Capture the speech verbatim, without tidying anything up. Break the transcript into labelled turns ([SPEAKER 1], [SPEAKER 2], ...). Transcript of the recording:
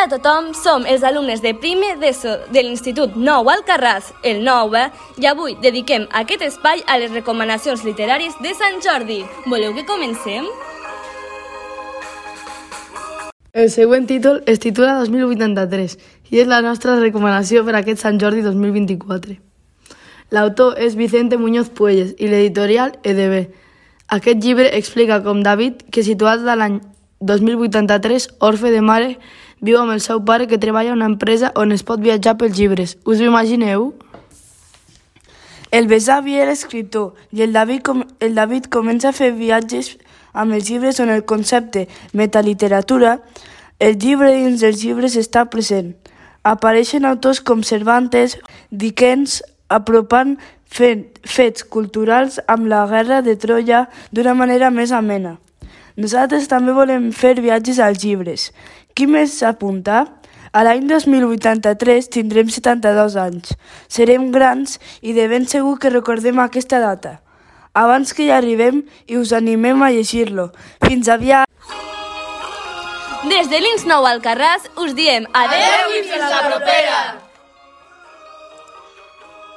[SPEAKER 1] a tothom, som els alumnes de primer d'ESO de l'Institut Nou Alcarràs, el nou E, i avui dediquem aquest espai a les recomanacions literàries de Sant Jordi. Voleu que comencem?
[SPEAKER 2] El següent títol es titula dos mil vuitanta-tres i és la nostra recomanació per a aquest Sant Jordi dos mil vint-i-quatre. L'autor és Vicente Muñoz Puelles i l'editorial E D B. Aquest llibre explica com David, que situat a l'any dos mil vuitanta-tres, orfe de mare, viu amb el seu pare que treballa a una empresa on es pot viatjar pels llibres. Us ho imagineu? El besavi era escriptor i el David, com, el David comença a fer viatges amb els llibres on el concepte metaliteratura, el llibre dins dels llibres està present. Apareixen autors com Cervantes, Dickens, apropant fet, fets culturals amb la guerra de Troia d'una manera més amena. Nosaltres també volem fer viatges als llibres. Qui més s'apunta? A l'any dos mil vuitanta-tres tindrem setanta-dos anys. Serem grans i de ben segur que recordem aquesta data. Abans que hi arribem i us animem a llegir-lo. Fins aviat!
[SPEAKER 1] Des de l'Ins Nou Alcarràs us diem adeu i fins la propera!